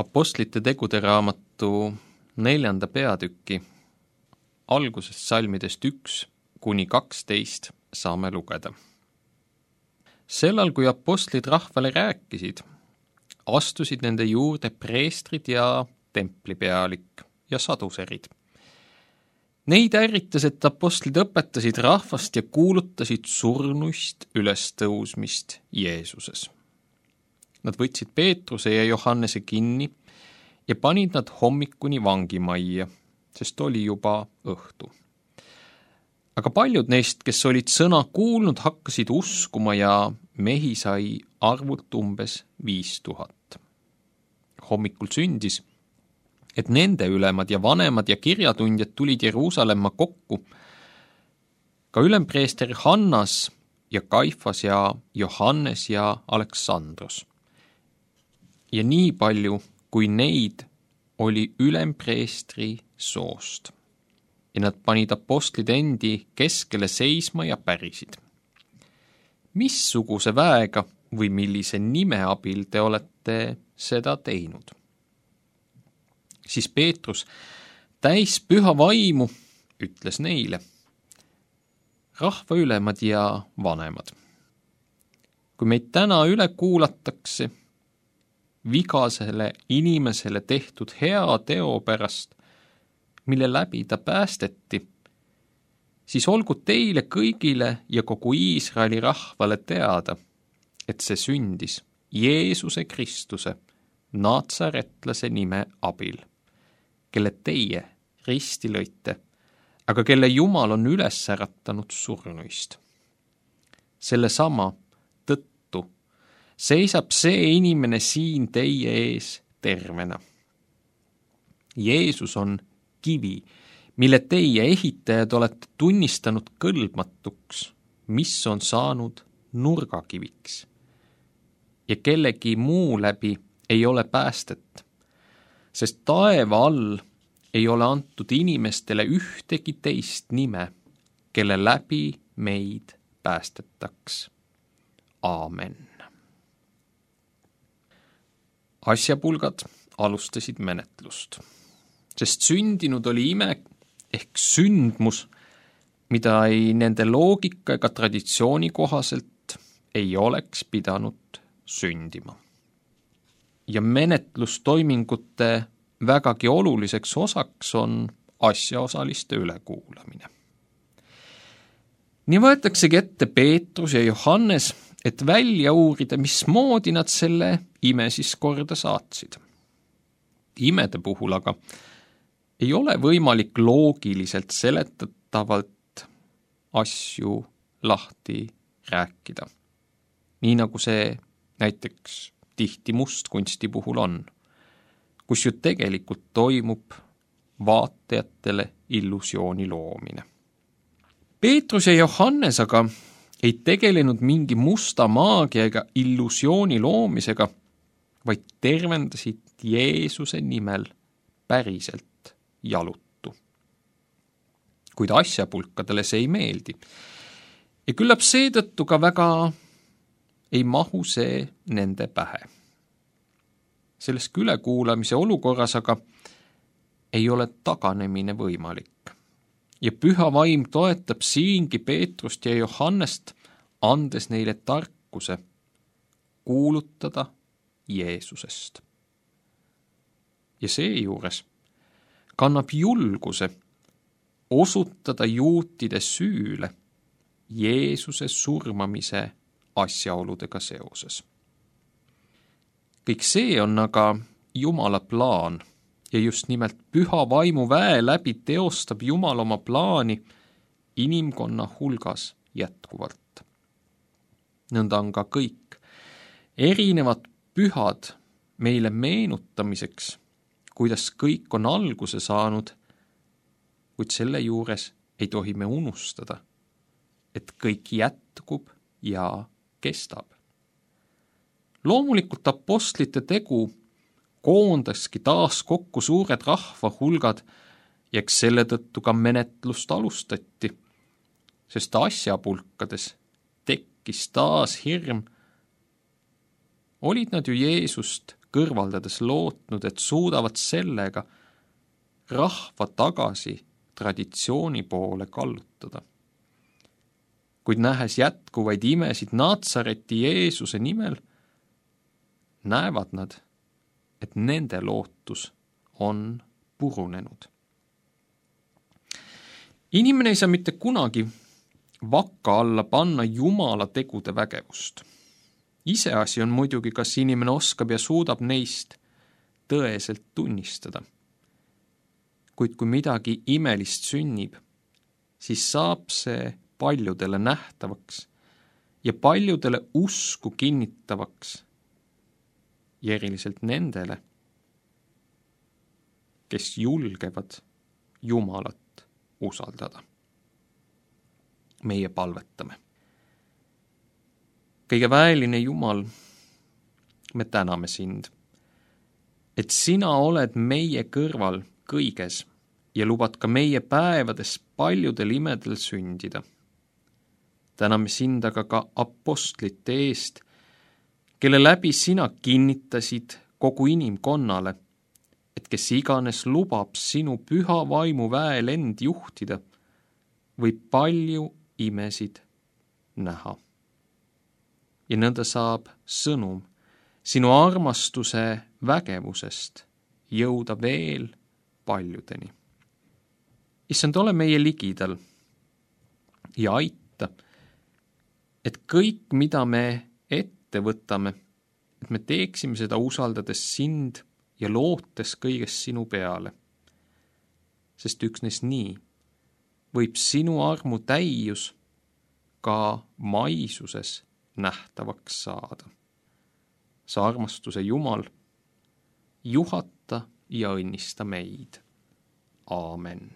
Apostlite tegude raamatu 4. peatüki algusest salmidest 1–12 saame lugeda. Sellal, kui apostlid rahvale rääkisid, astusid nende juurde preestrid ja templipealik ja saduserid. Neid ärritas, et apostlid õpetasid rahvast ja kuulutasid surnuist ülestõusmist Jeesuses. Nad võtsid Peetruse ja Johannese kinni ja panid nad hommikuni vangimajja, sest oli juba õhtu. Aga paljud neist, kes olid sõna kuulnud, hakkasid uskuma ja mehi sai arvult umbes 5000. Hommikul sündis, et nende ülemad ja vanemad ja kirjatundjad tulid Jeruusalemma kokku. Ka ülempreester Hannas ja Kaifas ja Johannes ja Aleksandros. Ja nii palju, kui neid oli ülempreestri soost. Ja nad panid apostlid endi keskele seisma ja pärisid. Missuguse väega või millise nime abil te olete seda teinud? Siis Peetrus, täis püha vaimu, ütles neile: rahva ülemad ja vanemad, kui meid täna üle kuulatakse vigasele inimesele tehtud hea teo pärast, mille läbi ta päästeti, siis olgu teile kõigile ja kogu Iisraeli rahvale teada, et see sündis Jeesuse Kristuse, Natsaretlase nime abil, kelle teie risti lõite, aga kelle Jumal on üles äratanud surnuist. Sellesama tõttu seisab see inimene siin teie ees tervena. Jeesus on kivi, mille teie ehitajad olete tunnistanud kõlbmatuks, mis on saanud nurgakiviks. Ja kellegi muu läbi ei ole päästet, sest taeva all ei ole antud inimestele ühtegi teist nime, kelle läbi meid päästetaks. Aamen. Asjapulgad alustasid menetlust, sest sündinud oli ime ehk sündmus, mida ei nende loogika ega traditsiooni kohaselt ei oleks pidanud sündima. Ja menetlustoimingute vägagi oluliseks osaks on asjaosaliste ülekuulamine. Nii võetaksegi ette Peetrus ja Johannes, et välja uurida, mismoodi nad selle ime siis korda saatsid. Imede puhul aga ei ole võimalik loogiliselt seletatavalt asju lahti rääkida. Nii nagu see näiteks tihti mustkunsti puhul on, kus ju tegelikult toimub vaatajatele illusiooni loomine. Peetrus ja Johannes aga ei tegelenud mingi musta maagia ega illusiooni loomisega, vaid tervendasid Jeesuse nimel päriselt jalutu. Kuid asjapulkadele see ei meeldi. Ja küllap seetõttu ka väga ei mahu see nende pähe. Selles ülekuulamise olukorras aga ei ole taganemine võimalik. Ja püha vaim toetab siingi Peetrust ja Johannest, andes neile tarkuse kuulutada Jeesusest. Ja seejuures kannab julguse osutada juutide süüle Jeesuse surmamise asjaoludega seoses. Kõik see on aga Jumala plaan ja just nimelt püha vaimu väe läbi teostab Jumal oma plaani inimkonna hulgas jätkuvalt. Nõnda on ka kõik erinevad pühad meile meenutamiseks, kuidas kõik on alguse saanud, kuid selle juures ei tohi me unustada, et kõik jätkub ja kestab. Loomulikult apostlite tegu koondaski taas kokku suured rahvahulgad ja eks selle tõttu ka menetlust alustati, sest asjapulkades tekkis taas hirm. Olid nad ju Jeesust kõrvaldades lootnud, et suudavad sellega rahva tagasi traditsiooni poole kallutada. Kuid nähes jätkuvaid imesid Natsareti Jeesuse nimel, näevad nad, et nende lootus on purunenud. Inimene ei saa mitte kunagi vakka alla panna Jumala tegude vägevust. Iseasi on muidugi, kas inimene oskab ja suudab neist tõeselt tunnistada. Kuid kui midagi imelist sünnib, siis saab see paljudele nähtavaks ja paljudele usku kinnitavaks ja eriliselt nendele, kes julgevad Jumalat usaldada. Meie palvetame. Kõige väeline Jumal, me täname sind, et sina oled meie kõrval kõiges ja lubad ka meie päevades paljudel imedel sündida. Täname sind aga ka apostlite eest, kelle läbi sina kinnitasid kogu inimkonnale, et kes iganes lubab sinu püha vaimu väel end juhtida, võib palju imesid näha. Ja nõnda saab sõnum sinu armastuse vägevusest jõuda veel paljudeni. Issand, ole meie ligidal ja aita, et kõik, mida me ette võtame, et me teeksime seda usaldades sind ja lootes kõigest sinu peale. Sest üksnes nii võib sinu armu täius ka maisuses nähtavaks saada. Sa armastuse Jumal, juhata ja õnnista meid. Aamen.